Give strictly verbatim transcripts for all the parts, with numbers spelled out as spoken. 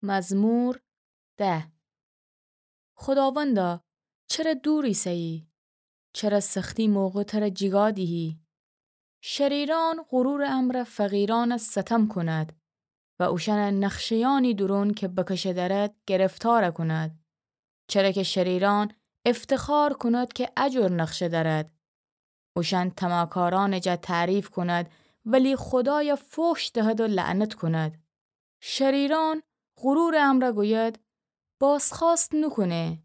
مزمور ده. خوداوندا، چره دور ایسه‌یی؟ چره سختی موقع تره جیگا دیهی؟ شریران غرورٚ امرأ فقیرأن ستم کند و اوشأن نقشه‌یأنی دورون کی بکشه درد گرفتار کند. چره کی شریران افتخار کند کی اجور نقشه درد. اوشأن طمعکارأنٚ جا تعریف کند، ولی خودای فحش دهد و لعنت کند. شریران غرورٚ امرأ گوید، بازخوأست نوکونه.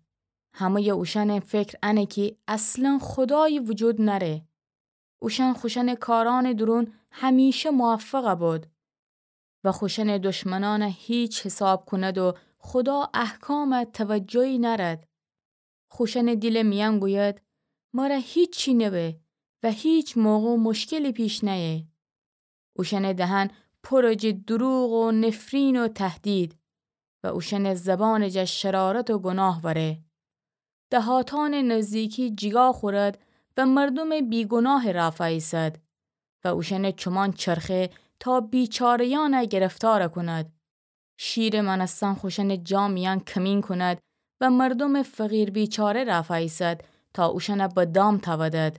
همه‌یٚ اوشأنٚ فکر انه کی اصلاً خودایی وجود نأره. اوشأن خوشأنٚ کارأنٚ دورون همیشه موفق بود و خوشأنٚ دشمنأن هیچ حساب کند و خودا احکام توجهی نأرد. خوشأنٚ دیلٚ میأن گوید، مره هیچی نبه و هیچ موقع مشکلی پیش نأیه. اوشأنٚ دهن پر جٚه دروغ و نفرین و تهدید و اوشأنٚ زبانٚ جا شرارت و گناه وأره. دهاتأنٚ نزدیکی جیگا خورد و مردومٚ بیگناه رافا ایسد و اوشأنٚ چومان چرخه تا بیچاره‌یأن گرفتار کند. شیرٚ مأنستن خوشأنٚ جا میأن کمین کند و مردومٚ فقیر بیچاره رافا ایسد تا اوشأن به دام تأودد.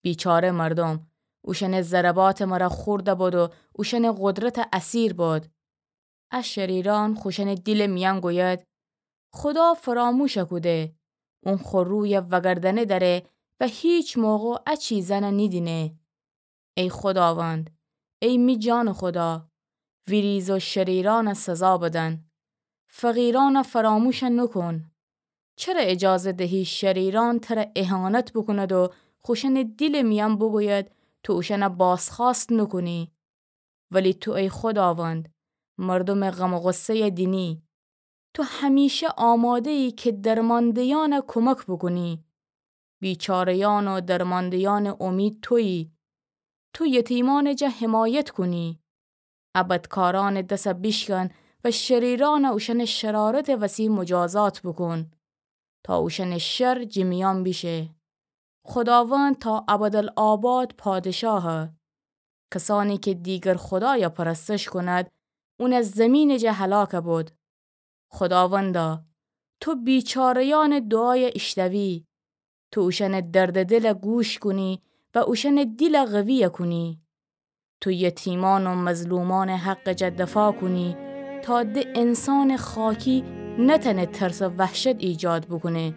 بیچاره مردوم اوشأنٚ ضرباتٚ مره خورده بود و اوشأنٚ قدرتٚ اسیر بود. ا شریرأن خوشأنٚ دیلٚ میأن گوید، خودا فراموش کوده، اون خو روی وأگردأنه دأره و هیچ موقع ا چیزأن نیدینه. ای خوداوند، ای می جانٚ خودا، ویریز و شریرأن سزا بدن. فقیرأن فراموش نوکون. چره اجازه دهی شریرأن تره اهانت بوکوند و خوشأنٚ دیلٚ میأن بوگوید تو اوشأن بازخوأست نوکونی؟ ولی تو ای خوداوند، مردومٚ غم و غصه‌ی دینی. تو همیشه آماده‌یی کی درمأنده‌یأن کمک بوکونی. بیچاره‌یأن و درمأنده‌یأنٚ امید تویی. تو یتیمأنٚ جا حمایت کونی. ا بدکارأنٚ دس بیشکن و شریرأن اوشأنٚ شرارتٚ وسی مجازات بوکون، تا اوشأنٚ شر جٚه میأن بیشه. خوداوند تا ابدالآباد پادشاهه. کسأنی کی دیگر خودای پرستش کند، اون زیمینٚ جا هلاک بود. خوداوندا، تو بیچاره‌یأنٚ دوعای ایشنوی، تو اوشأنٚ دردٚ دیل گوش کونی و اوشأنٚ دیل قوی کونی. تو یتیمأن و مظلومأنٚ حقٚ جا دفاع کونی، تا د انسانٚ خاکی نتأنه ترس و وحشت ایجاد بوکونه.